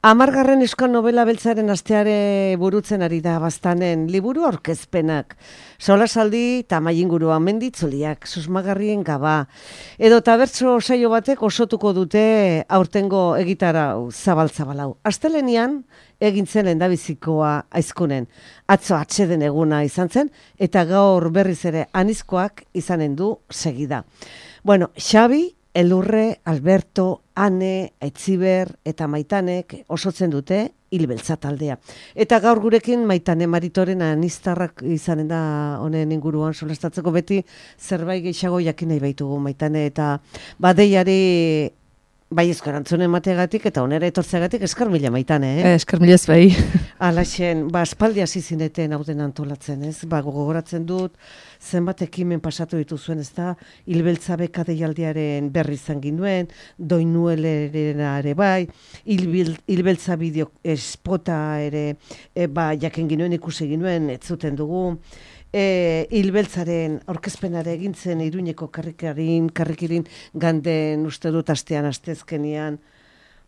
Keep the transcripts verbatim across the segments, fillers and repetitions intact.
Hamargarren euskal novela beltzaren asteare burutzen ari da Baztanen liburu aurkezpenak. Solasaldi tamai inguruan menditzuliak, susmagarrien gaba. Edo tabertso saio batek osotuko dute aurtengo egitarau zabal-zabalau. Astelenian egin zen lehendabizikoa aizkunen. Atzo atseden eguna izan zen eta gaur berriz ere anizkoak izanen du segida. Bueno, Xabi, Elurre, Alberto, Ane, Aitziber eta Maitanek osotzen dute Hilbeltza taldea. Eta gaur gurekin Maitane Maritoren aniztarrak izanen da honen inguruan solastatzeko, beti zerbait gehiago jakin nahi baitugu Maitane, eta badeiari bai eskarantzune emateagatik eta onera etortzeagatik eskar mila Maitane, eh? Eh, eskar mila ez bai. Alaxen, ba, espaldi hasi zineten hauden antolatzen, ez? Ba, gogoratzen dut, zenbat ekimen pasatu dituzuen, ez da, Hilbeltza beka deialdiaren berri izan ginuen, Doinuelerena ere bai, Hilbeltza bideo espota ere, e, ba, jaken ginuen, ikusi ginuen, ez zuten dugu, E, Hilbeltzaren aurkezpenare egintzen Iruñeko karrikarin, karrikirin ganden uste dut astean, astezkenian.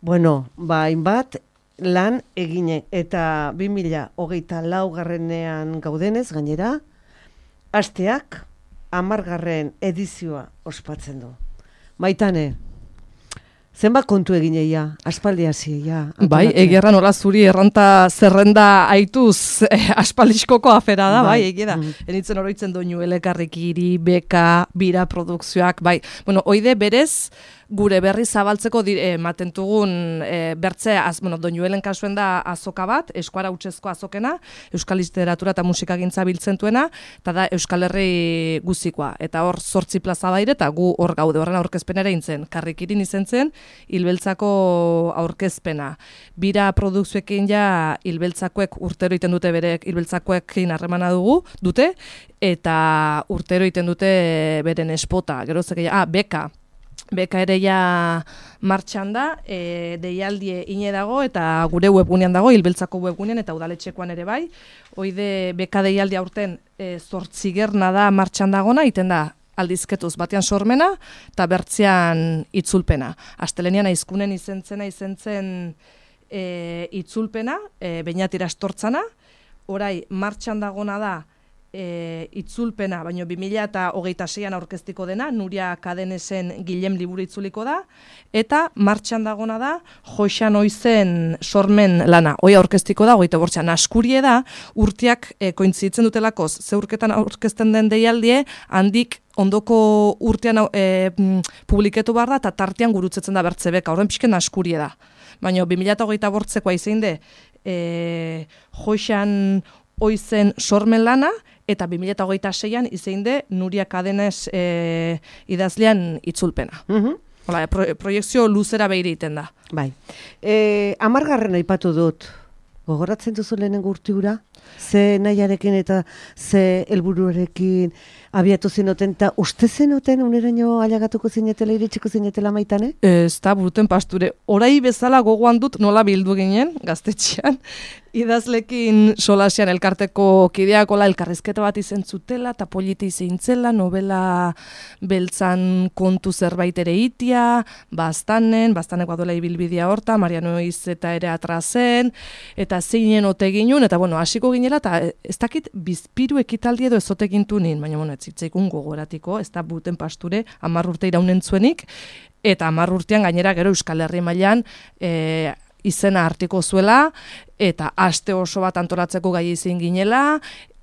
Bueno, ba, hainbat lan egine eta bi mila hogeita laugarrenean gaudenez, gainera, asteak hamargarren edizioa ospatzen du. Maitane, zenbat kontu egineia, aspaldi hasia. Bai, egerra nola zuri erranta zerrenda aituz eh, aspaldiskoko afera da, bai, bai egia da. Mm. Enitzen oroitzen Doinuele karrikiri, beka, bira produkzioak, bai. Bueno, oide berez, gure berri zabaltzeko ematen dugun e, bertze, az, bueno, Doinuelen kasuen da azoka bat, eskuara hutsezko azokena, euskal literatura eta musikagintza biltzen duena, eta da Euskal Herri guzikoa. Eta hor zortzi plaza baire, eta gu hor gaude, horren aurkezpenera intzen. Karrikirin izen zen, Hilbeltzako aurkezpena. Bira produkzioekin ja Hilbeltzakoek urtero iten dute berek, Hilbeltzakoekin harremana dugu, dute, eta urtero iten dute beren espota. Gero zekeia, ah, beka. Beka ere ja martxan da, e, deialdie ine dago eta gure webgunean dago, Hilbeltzako webgunean eta udaletxekoan ere bai. Hoide beka deialdia aurten e, zortzigerna da martxan dagona, iten da aldizketuz batean sormena eta bertzean itzulpena. Astelenian aizkunen izentzena izentzen e, itzulpena, e, Beñatira astortzana, orai martxan dagona da E, itzulpena, baino bi mila hogeita seian aurkeztiko dena, Nuria Kadenesen Gilem liburu itzuliko da, eta martxan dagona da, Joxan Oizen sormen lana, hoi aurkeztiko da, hogeita bortxan askurie da, urteak e, kointzitzen dutelakoz, zeurketan aurkezten den deialdie, handik ondoko urtean e, publiketu behar da, eta tartean gurutzetzen da bertzebeka, horren pixken askurie da. Baina bi mila hogeita bortzekoa izein de, e, Joxan Oizen sormen lana, eta bi mila hogeita seian izein de Nuria Kadenez e, idazlean itzulpena. Uh-huh. Hola, pro, proiektzio luzera behire iten da. Bai. E, amargarren aipatu dut, gogoratzen duzu lehenengo urtiura? Ze nahiarekin eta ze helburuarekin abiatu zenoten, eta uste zenoten uneraino ailegatuko zinetela, iritsiko zinetela Maitane? Ez da, buruten pasture, orai bezala gogoan dut nola bildu ginen, gaztetxean, idazlekin solasian elkarteko kideakola elkarrizketa bat izen zutela, eta politi zeintzela, novela beltzan kontu zerbait ere itia, Baztanen, Baztaneko adola ibilbidea horta, Mariano Izeta ere atrazen, eta zeinen ote ginun, eta bueno, hasiko ginela, eta ez dakit bizpiru ekitaldi edo ezote gintu nin, baina bueno, ez zitzaikun gogoratiko, ez da buten pasture, hamar urte iraunen zuenik, eta hamar urtean gainera gero Euskal Herri mailan e, izena hartiko zuela, eta aste oso bat antolatzeko gai izin ginela,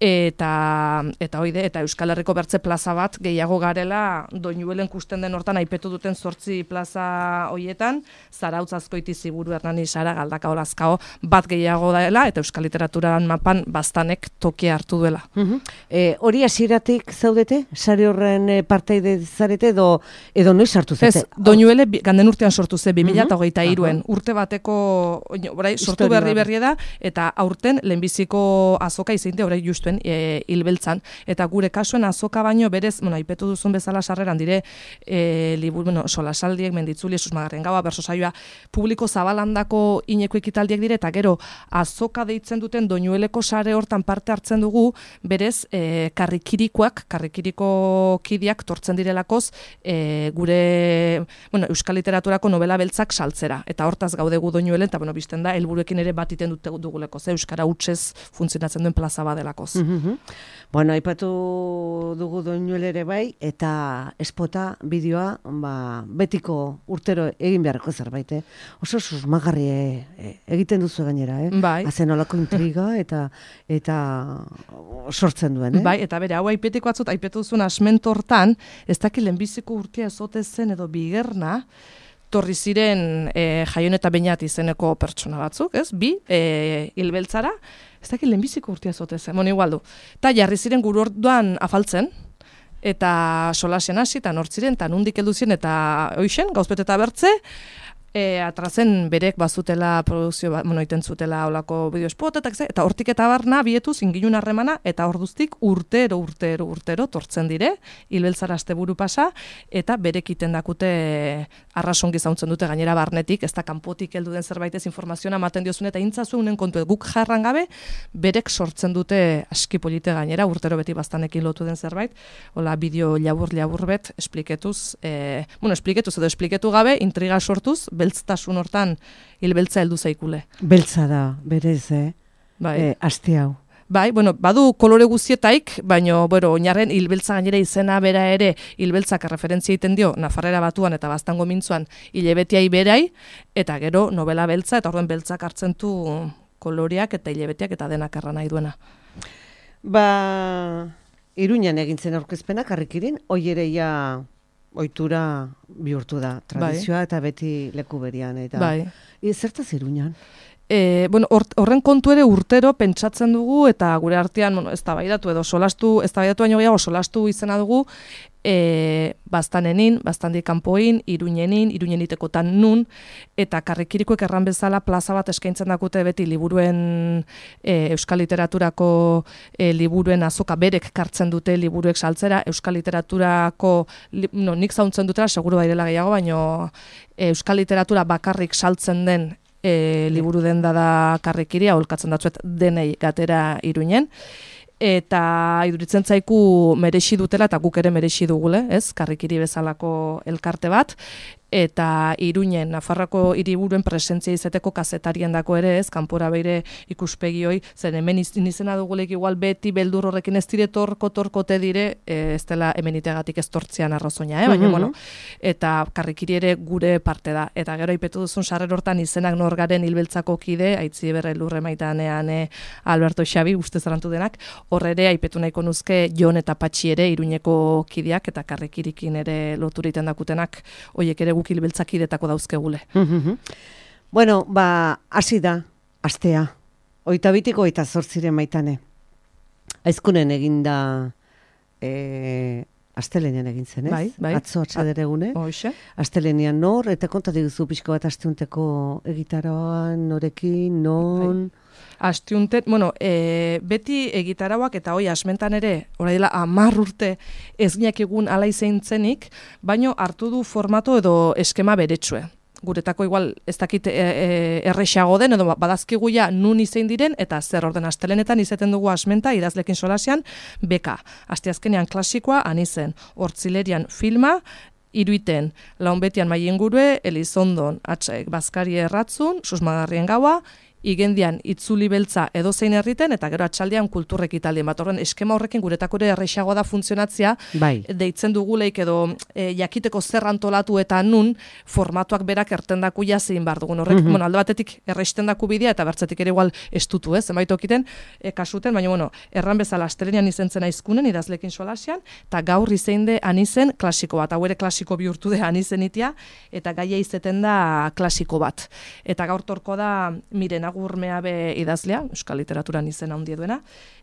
eta eta hoide eta Euskal Herriko bertze plaza bat gehiago garela Doinuelen kusten den hortan aipetu duten zortzi plaza hoietan, Zarautz Azkoiti Ziburu Hernani Sara Galdakao Lazkao bat gehiago dela eta euskal literaturan mapan Baztanek tokia hartu duela. Uh-huh. E, hori hasieratik zaudete? Sare horren e, partaide zarete edo edo noiz hartu zate? Ez, Doinuele ganden urtean sortu ze bi mila hogeita hiruan, urte bateko orai sortu berri berri da, eta aurten lehenbiziko azoka izainte horrek justuen e, hilbeltzan. Eta gure kasuen azoka baino berez, bueno, aipetu duzun bezala sarreran dire, e, libur, bueno, solasaldiek, menditzuli, susmagarren gaua, berso saioa, publiko zabalandako ineko ekitaldiak dire, eta gero azoka deitzen duten doinueleko sare hortan parte hartzen dugu, berez, e, karrikirikoak, karrikiriko kidiak tortzen direlakoz, e, gure, bueno, euskal literaturako novela beltzak saltzera. Eta hortaz gaudegu doinuelen, eta bueno, bizten da, helburuekin ere bat iten dute duguleko, ze euskara hutsez funtzionatzen duen plaza badelakoz. Mm-hmm. Bueno, aipatu dugu doinuel ere bai, eta espota bideoa, ba, betiko urtero egin beharreko zerbait, eh? Oso susmagarri e, egiten duzu gainera, eh? Bai. Hazen olako intriga eta eta sortzen duen, eh? Bai, eta bere, hau aipetiko atzut, aipetu duzun asmentortan, ez dakit lehenbiziko urtea ezote zen edo bigerna, torri ziren e, Jaion eta Beñat izeneko pertsona batzuk, ez? Bi, e, hilbeltzara, ez dakit lehenbiziko urtea ezote zen, bueno, igual du. Ta jarri ziren guru orduan afaltzen, eta solasen hasi, eta nortziren, eta nundik heldu ziren, eta hoixen, gauzpet eta bertze, E, atrazen berek bazutela produkzio bat, bueno, iten zutela olako bideospotetak ze, eta hortik eta barna bietuz inginun harremana, eta orduztik urtero, urtero, urtero tortzen dire, hilbeltzara asteburu pasa, eta berek iten dakute arrasongi zauntzen dute gainera barnetik, ez da kanpotik heldu den zerbaitez informazioa ematen diozun, eta intzazu unen kontu guk jarran gabe, berek sortzen dute aski polite gainera, urtero beti bastanekin lotu den zerbait, hola bideo labur-labur bet, espliketuz, e, bueno, espliketuz edo espliketu gabe, intriga sortuz, beltztasun hortan hilbeltza heldu zaikule. Beltza da, berez, eh? Bai. E, aste hau. Bai, bueno, badu kolore guztietaik, baino, bueno, oinarren hilbeltza gainera izena bera ere, hilbeltzak referentzia egiten dio Nafarrera batuan eta Baztango mintzuan hilebetiai berai, eta gero novela beltza, eta orduan beltzak hartzen du koloreak eta hilebetiak eta denak erra nahi duena. Ba, Iruñan egintzen aurkezpenak Karrikirin, hoi ere ja ohitura bihurtu da, tradizioa, bai. Eta beti leku berian. Eta bai. E, zertaz Iruñan? E, bueno, or, horren kontu ere urtero pentsatzen dugu, eta gure artean, bueno, eztabaidatu edo solastu, eztabaidatu baino gehiago solastu izena dugu, e, Baztanenin, Baztandik kanpoin, Iruñenin, Iruñenitekotan nun, eta Karrikirikoek erran bezala plaza bat eskaintzen dakute beti liburuen, e, euskal literaturako e, liburuen azoka berek kartzen dute liburuek saltzera, euskal literaturako, li, no, nik zauntzen dutela, seguru bairela gehiago, baino e, euskal literatura bakarrik saltzen den E, liburu den da Karrikiria, holkatzen datzuet denei gatera Iruñen, eta iduritzen zaiku merexi dutela, eta guk ere merexi dugule, ez? Karrikiri bezalako elkarte bat, eta Iruñen, Nafarroako hiriburuen presentzia izeteko kazetarien dako ere, ez, kanpora beire ikuspegi hoi, zen hemen izena dugulek igual beti beldur horrekin ez dire torko torkote dire, e, ez dela hemen itegatik ez tortzean arrazoina, eh? Baina, mm-hmm. bueno, eta Karrikiri ere gure parte da. Eta gero aipetu duzun sarrer hortan izenak norgaren hilbeltzako kide, aitzi berre lurre maitanean e, Alberto Xabi, uste zarantu denak, horre ere aipetu nahiko nuzke Jon eta Patxi ere, Iruñeko kideak, eta Karrikirikin ere loturiten dakutenak, hoiek ere hilbeltzak idetako dauzkegule. Mm-hmm. Bueno, ba, hasi da, astea. Oita bitiko eta zortziren maitane. Aizkunen eginda e, astelenean egin zen, ez? Bai, bai. Atzo atxaderegune. Hoxe. Astelenean nor, eta konta diguzu pixko bat asteunteko egitaroan, norekin, non... Bai. Astiunten, bueno, e, beti egitarauak eta hoi asmentan ere, orai dela hamar urte ez ginak egun ala izeinitzenik, baino hartu du formato edo eskema beretsue. Guretako igual ez dakit e, e, errexago den, edo badazkigu ja nun izein diren, eta zer orden astelenetan izeten dugu asmenta, idazlekin solasean, beka. Asteazkenean klasikoa, anizen, hortzilerian filma, iruiten, launbetian maiengurue, Elizondon, atxaek, Bazkari erratzun, susmagarrien gaua, igendian itzuli beltza edozein herriten, eta gero atxaldean kulturrek italdien bat. Horren, eskema horrekin guretako ere errexagoa da funtzionatzea, bai. Deitzen duguleik edo e, jakiteko zer antolatu eta nun formatuak berak ertendaku jazein bar dugun. Horrek, mm-hmm. bueno, alde batetik erresten daku bidea, eta bertzetik ere igual estutu, ez, zenbait okiten, e, kasuten, baina, bueno, erran bezala astelenian izentzen aizkunen, idazlekin solasean, eta gaur izein de anizen klasiko bat, hau ere klasiko bihurtu de anizen itia, eta gaia izeten da klasiko bat. Eta gaur torko da, miren, Agurmea be idazlea, euskal literaturan izena handia duena,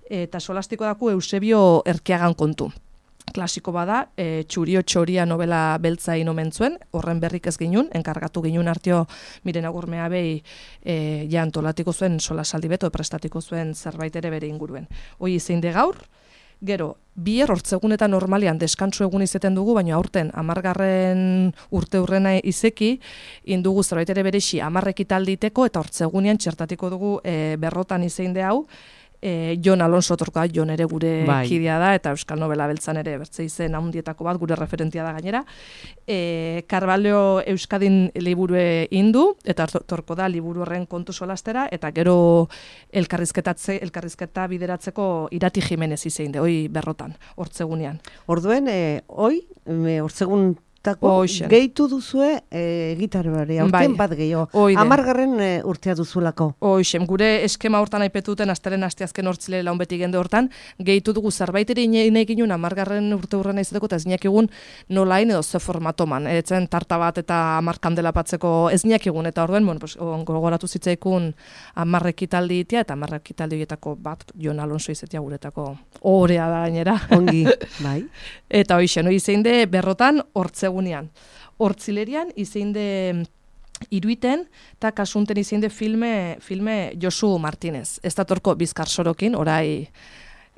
eta solastiko daku Eusebio Erkeagan kontu. klasiko bada, e, Txurio txoria novela beltza inomen zuen, horren berrik ez ginun, enkargatu ginun artio Miren Agurmea behi e, ja antolatiko zuen solasaldi beto, prestatiko zuen zerbait ere bere inguruen. Hoi izein de gaur, gero, bier hortzegunetan normalian deskantsu egun izeten dugu, baina aurten amargarren urte hurrena izeki, indugu zerbait ere berexi amarrekitalditeko, eta hortzegunean txertatiko dugu e, berrotan izein de hau, E, Jon Alonso torka, Jon ere gure bai. Kidea da, eta Euskal Novela beltzan ere bertze izen handietako bat, gure referentia da gainera. E, Carvalho Euskadin liburue indu, eta torko da liburu horren kontu solastera, eta gero elkarrizketatze, elkarrizketa bideratzeko Irati Jimenez izein de, hoi berrotan, hortzegunean. Orduen, e, hoi, hortzegun Tako, gehitu duzue e, gitarrari, aurten bai. Bat gehiago. Amargarren e, urtea duzulako. Hoixen, gure eskema hortan aipetuten, asteren asteazken hortzile laun beti gende hortan, gehitu dugu zerbaiteri nahi ginen amargarren urte hurren izateko, eta ez niak egun nolain edo ze formatoman. Etzen tarta bat eta amar kandela patzeko ez niak egun, eta orduen, bueno, pues, gogoratu zitzaikun amarrekitaldi itea, eta amarrekitaldi horietako bat, Jon Alonso izetia guretako orea da gainera. Ongi, bai. Eta hoixen, hoi zein de berrotan hortze egunean. Hortzilerian izein de iruiten, eta kasunten izein de filme, filme Josu Martínez. Ez datorko Bizkar Sorokin, orai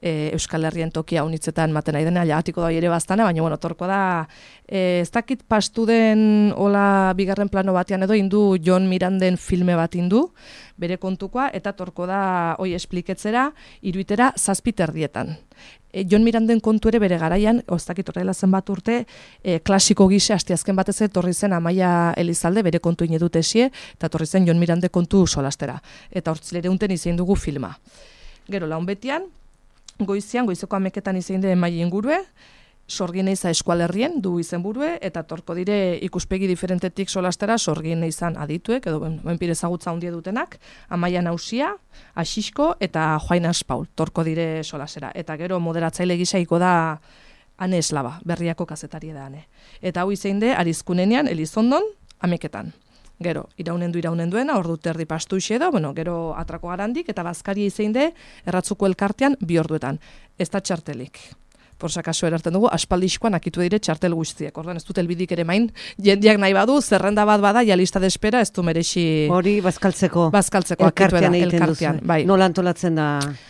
e, Euskal Herrien tokia unitzetan maten nahi dena, jagatiko da ere bastana, baina bueno, torko da, e, ez dakit pastu den hola bigarren plano batean edo, indu Jon Miranden filme bat indu, bere kontukoa, eta torko da, hoi espliketzera, iruitera zazpiterdietan. E, Jon Miranden kontu ere bere garaian, oztakit horrela zenbat urte, e, klasiko gise astiazken batez torri zen Amaia Elizalde bere kontu inedut esie, eta torri zen Jon Mirande kontu solastera. Eta hortzilere unten izein dugu filma. Gero, laun betian, goizian, goizeko ameketan izein de Emai ingurue, Sorgin eiza eskualerrien du izenburue, eta torko dire ikuspegi diferentetik solastera sorgin eizan adituek, edo benpire ezagutza hundie dutenak, Amaia Nausia, Asisko eta Joainas Paul, torko dire solastera. Eta gero moderatzaile gisaiko da Ane Eslaba, Berriako kazetari da Ane. Eta hau izein de, Arizkunenean, Elizondon, ameketan. Gero, iraunen du iraunen duena, ordu terdi pastu ise da, bueno, gero atrako garandik, eta bazkari izein de, erratzuko elkartean, bi orduetan. Ez da txartelik. Por sakaso erarten dugu, aspaldixkoan akitu dire txartel guztiek. Orduan, ez dut elbidik ere main, jendiak nahi badu, zerrenda bat bada, ja lista de espera, ez du merexi... Hori, bazkaltzeko. Bazkaltzeko, akitu era, elkartean. Bai. Nola antolatzen da...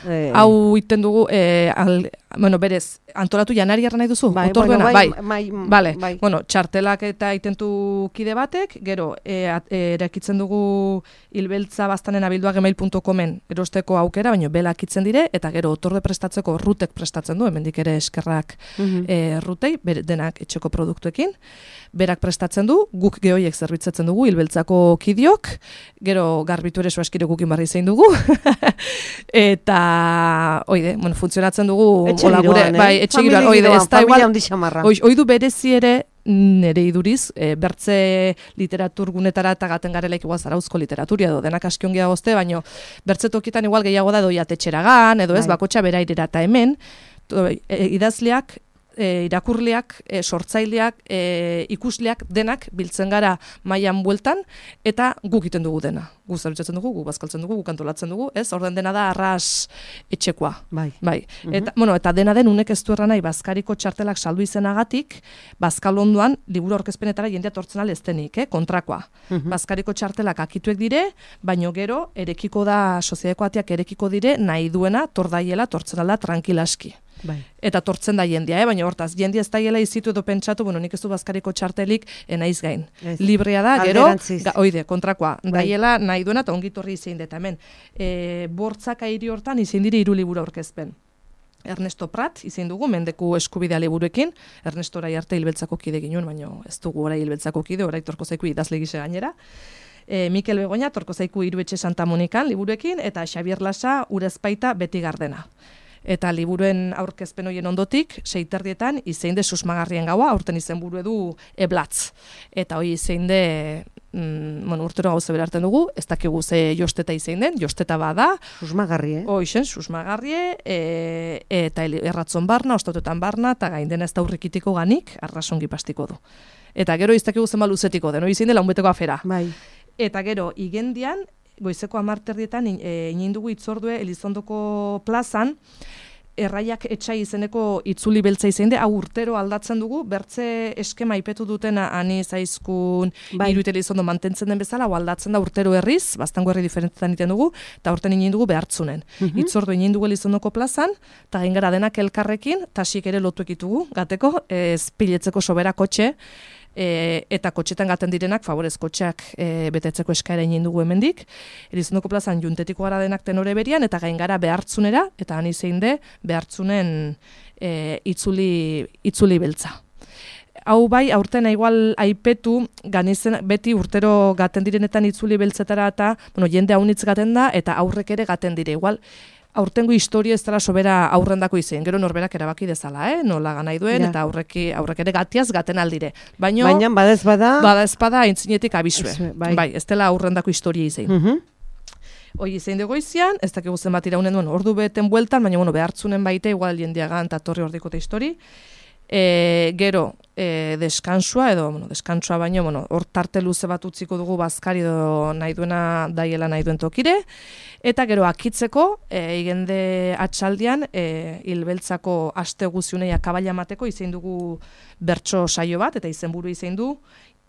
Eh... Hau iten dugu, eh, al, bueno, berez, antolatu janari erra nahi duzu? Bai, bueno, bai, bai, bai, vale. bai. Bueno, txartelak eta itentu kide batek, gero, e, e, erakitzen dugu hilbeltza bastanen abilduak gmail punto comen erosteko aukera, baina belak itzen dire, eta gero, otorde prestatzeko rutek prestatzen du, hemendik ere eskerrak mm-hmm. e, rutei, ber, denak etxeko produktuekin, berak prestatzen du, guk gehoiek zerbitzatzen dugu, hilbeltzako kidiok, gero, garbitu ere soaskire gukin barri zein dugu, eta, oide, bueno, funtzionatzen dugu, Hola, gure, eh? Bai, etxe giroan, oide, ez da igual, oi, oidu berezi ere nere iduriz, e, bertze literatur gunetara eta gaten garelaik igual zarauzko literaturia edo denak askiongia gozte, baina bertze tokietan igual gehiago da doia tetxeragan, edo ez, bai. Bakotxa berairera eta hemen, to, e, idazleak, e, irakurleak, e, sortzaileak, e, ikusleak, denak biltzen gara mailan bueltan, eta guk egiten dugu dena. Gu zerbitzatzen dugu, gu bazkaltzen dugu, gu kantolatzen dugu, ez? Orden dena da arras etxekoa. Bai. Bai. Mm-hmm. Eta, bueno, eta dena den unek ez du erra nahi, bazkariko txartelak saldu izenagatik, bazkal onduan, liburu aurkezpenetara jendea tortzen aleztenik, eh? Kontrakoa. Mm-hmm. Bazkariko txartelak akituek dire, baino gero, erekiko da, soziadeko atiak erekiko dire, nahi duena, tordaiela, tortzen alda, tranquilaski. Bai. Eta tortzen da jendia, eh? Baina hortaz, jendia ez daiela izitu edo pentsatu, bueno, nik ez du bazkariko txartelik enaiz gain. Ez. Librea da, gero, ga, oide, kontrakoa, bai. Daiela nahi duena eta ongitorri izein deta hemen. E, bortzaka hiri hortan izein dire hiru liburu aurkezpen. Ernesto Prat izein dugu, mendeku eskubidea liburuekin, Ernesto orai arte hilbeltzako kide ginen, baina ez dugu orai hilbeltzako kide, orai torko zaiku idazle gise gainera. E, Mikel Begoña, torko zaiku Iruetxe Santa Monikan liburuekin, eta Xabier Lasa, Urezpaita, Beti Gardena. Eta liburuen aurkezpen horien ondotik, seiterdietan, izein de susmagarrien gaua, aurten izen buru edu eblatz. Eta hoi izein de, mm, bueno, urtero gauze berarten dugu, ez dakigu ze josteta izein den, josteta bada. Susmagarri, eh? Hoixen, susmagarrie, e, eta erratzon barna, ostautetan barna, eta gain dena ez da urrikitiko ganik, arrasongi pastiko du. Eta gero ez dakigu zenba luzetiko den, hoi izein de launbeteko afera. Bai. Eta gero, igendian, goizeko amarterdietan inin dugu itzordue Elizondoko plazan, erraiak etxai izeneko itzuli beltza izan de, hau urtero aldatzen dugu, bertze eskema ipetu dutena ani zaizkun bai. Iruiteli izondo mantentzen den bezala, hau aldatzen da urtero herriz, bastango herri diferentetan iten dugu, eta urten inin dugu behartzunen. Mm-hmm. Itzordu inin dugu elizondoko plazan, eta gain gara denak elkarrekin, tasik ere lotu ekitugu, gateko, ez piletzeko sobera kotxe, E, eta kotxetan gaten direnak, favorez kotxeak e, betetzeko eskaera egin dugu hemendik. Elizondoko plazan juntetiko gara denak tenore berian, eta gain gara behartzunera, eta han izein de behartzunen e, itzuli, itzuli beltza. Hau bai, aurten igual aipetu, ganizen beti urtero gaten direnetan itzuli beltzetara, eta bueno, jende haunitz gaten da, eta aurrek ere gaten dire. Igual, aurtengo historia ez dela sobera aurrendako izan, gero norberak erabaki dezala, eh? Nola ganai duen, ja. Eta aurreki, aurrek ere gatiaz gaten aldire. Baino, Baina badez bada... Badez bada aintzinetik abisue. Bai. Bai, ez dela aurrendako historia izan. Uh-huh. Hoi izan dugu izan, ez dakigu zen bat iraunen duen ordu beten bueltan, baina bueno, behartzunen baite, igual jendiagan eta torri ordikote histori. E, gero, e, deskansua, edo, bueno, deskansua baino, bueno, hor tarte luze bat utziko dugu bazkari edo nahi duena daiela nahi duen tokire, eta gero akitzeko, e, igende atxaldian, e, hilbeltzako aste guziunei akabaila mateko, izein dugu bertso saio bat, eta izenburu izein du,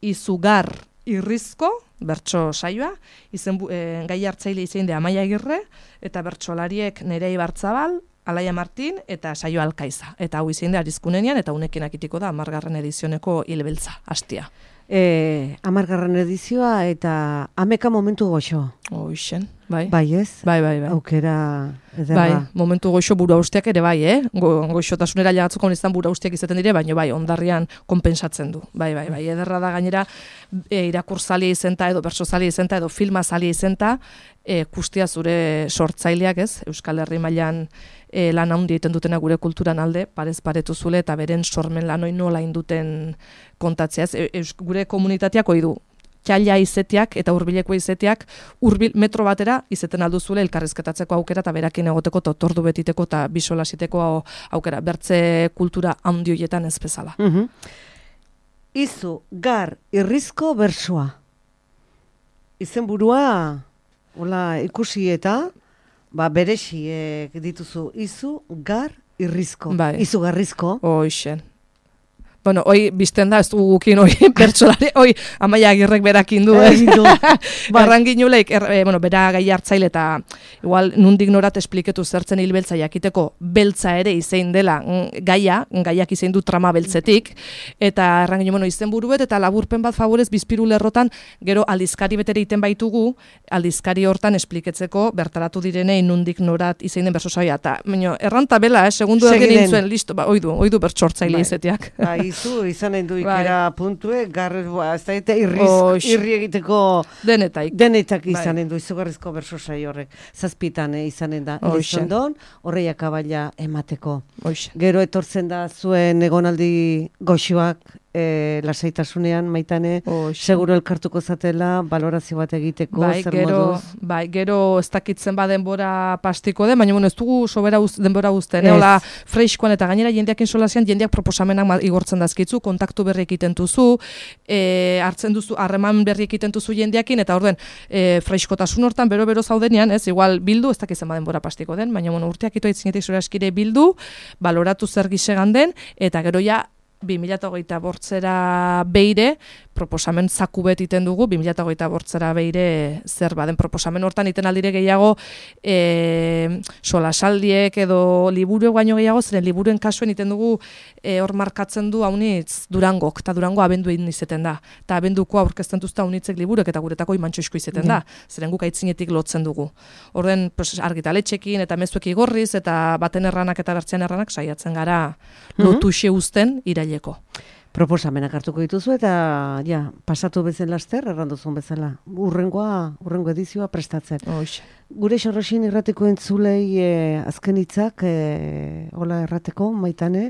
izugar irrizko, bertso saioa, izen, e, gai hartzaile izein de Amaia Agirre, eta bertsolariek Nerei Bartzabal, Alaia Martin eta Saio Alkaiza. Eta hau izin da arizkunenean, eta unekin akitiko da amargarren edizioneko hilbeltza, hastia. E, amargarren edizioa eta ameka momentu goxo. Hoixen, bai. Bai ez? Bai, bai, bai. Aukera ederra. Bai, momentu goxo buru hausteak ere bai, eh? Go, goxotasunera jagatzeko niztan buru hausteak izaten dire, baina bai, ondarrian konpensatzen du. Bai, bai, bai, ederra da gainera e, irakurzalia izenta edo bertsozalia izenta edo filmazalia izenta, e, kustia zure sortzaileak, ez? Euskal Herri mailan e, lan handi egiten dutena gure kulturan alde, parez paretu zule eta beren sormen lanoi nola induten kontatzea, ez? E, gure komunitateak ohi du txaila izetiak eta hurbileko izetiak hurbil metro batera izeten alduzule elkarrizketatzeko aukera eta berakin egoteko totordu betiteko eta bisolasiteko aukera, bertze kultura handi horietan ez bezala. Uh-huh. Izu, gar, irrizko bersoa. Izenburua, hola, ikusi eta, ba, berexiek dituzu, izu, gar, irrizko. Bai. Izu garrizko. Hoixen. Bueno, hoi bizten da, ez du gukin hoi pertsolari, hoi Amaia Agirrek berakin du, eh? Bai. Erranginuleik, er, eh, bueno, bera gai hartzaile eta igual nundik norat espliketu zertzen hilbeltza jakiteko beltza ere izein dela gaia, gaiak izein du trama beltzetik, eta erranginu, bueno, izen buruet eta laburpen bat favorez bizpiru lerrotan, gero aldizkari betere iten baitugu, aldizkari hortan espliketzeko bertaratu direnei nundik norat izein den bersosaia, eta baina, erranta bela, eh, segundu egin nintzuen, listo, ba, oidu, oidu bertsortzaile bai. Izetiak. Bai. Izu, izanen du ikera bai. Puntue, garrez, ba, ez da eta irriz, irri egiteko denetaik, denetak izanen bai. Du, izugarrizko bersosai horrek, zazpitan eh, izanen da, Elizondon, horreiak abaila emateko. Oixe. Gero etortzen da zuen egonaldi goxuak, E, lasaitasunean maitane, Oixe. Seguro elkartuko zatela, balorazio bat egiteko, bai, zer gero, moduz? Bai, gero ez dakitzen ba denbora pastiko den, baina bueno, ez dugu sobera uz, denbora uzten, hola freiskoan eta gainera jendeak insolazioan, jendeak proposamenak igortzen dazkitzu, kontaktu berri egiten duzu, e, hartzen duzu, harreman berri egiten duzu jendeakin, eta orden e, freiskotasun hortan bero-bero zaudenean, ez, igual bildu, ez dakitzen ba denbora pastiko den, baina bueno, urteak ito aitzinetik zure askire bildu, baloratu zer gisegan den, eta gero ja, bi mila hogeita bortzera beire, proposamen zaku bet iten dugu, bi mila hogeita bortzera beire zer baden proposamen hortan iten aldire gehiago e, solasaldiek edo liburu baino gehiago, zeren liburuen kasuen iten dugu e, hor markatzen du haunitz Durangok, eta Durango abendu egin izeten da. Eta abenduko aurkezten duzta haunitzek liburek eta guretako imantxoizko izeten da. Zeren guk aitzinetik lotzen dugu. Orden pues, argitaletxekin eta mezuek igorriz eta baten erranak eta bertzean erranak saiatzen gara lotuxe uzten iraileko. Proposamenak hartuko dituzu eta ja, pasatu bezen laster, erranduzun bezala. Urrengoa, urrengo edizioa prestatzen. Oixe. Gure Xorroxin irrateko entzulei e, azken hitzak, e, hola errateko, maitane,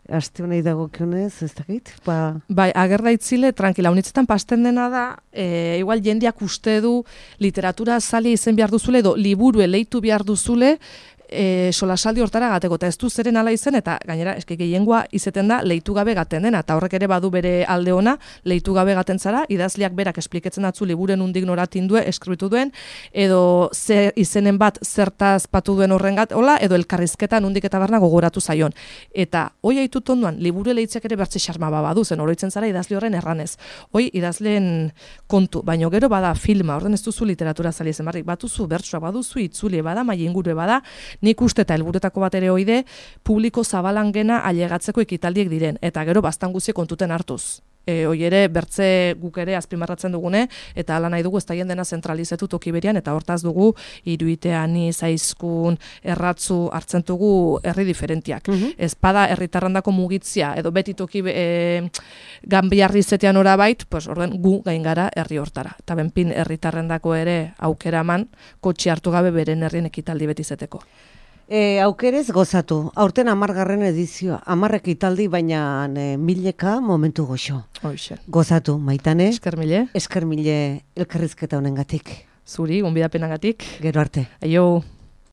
aste honei dagokionez, ez dakit? Ba... Bai, agerda itzile, tranquila, unitzetan pasten dena da, e, igual jendeak uste du literatura zali izen behar duzule, edo liburu eleitu behar duzule, e, solasaldi hortara gateko, eta ez du zeren ala izen, eta gainera, eski gehiengoa izeten da, leitu gabe gaten dena, eta horrek ere badu bere alde ona, leitu gabe gaten zara, idazleak berak espliketzen datzu liburen undik noratin duen, eskribitu duen, edo ze izenen bat zertaz patu duen horrengat, hola, edo elkarrizketan undik eta barna gogoratu zaion. Eta hoi haitut onduan, liburu eleitziak ere bertze xarma badu zen, oroitzen zara idazle horren erranez. Hoi idazleen kontu, baino gero bada filma, orden ez duzu literatura zali zen barrik, batuzu bertsoak, baduzu itzuli, bada mailinguru bada, nik uste eta helburetako bat ere oide, publiko zabalangena ailegatzeko ekitaldiek diren, eta gero bastan guzie kontuten hartuz. E, hoi ere, bertze guk ere azpimarratzen dugune, eta ala nahi dugu ez daien dena zentralizetu toki berian, eta hortaz dugu, iruitean, zaizkun, erratzu, hartzen dugu herri diferentiak. Mm -hmm. Ez bada herritarrandako mugitzia, edo beti toki e, ganbiarri zetean orabait, pues, orden gu gain gara herri hortara. Eta benpin herritarrendako ere aukera eman, kotxe hartu gabe beren herrien ekitaldi beti zeteko. E, aukerez gozatu, aurten amargarren edizioa, amarrek italdi, baina e, mileka momentu goxo. Hoxe. Gozatu, Maitane. Esker mile. Esker mile elkarrizketa honengatik. Zuri, gonbidapenagatik. Gero arte. Aio.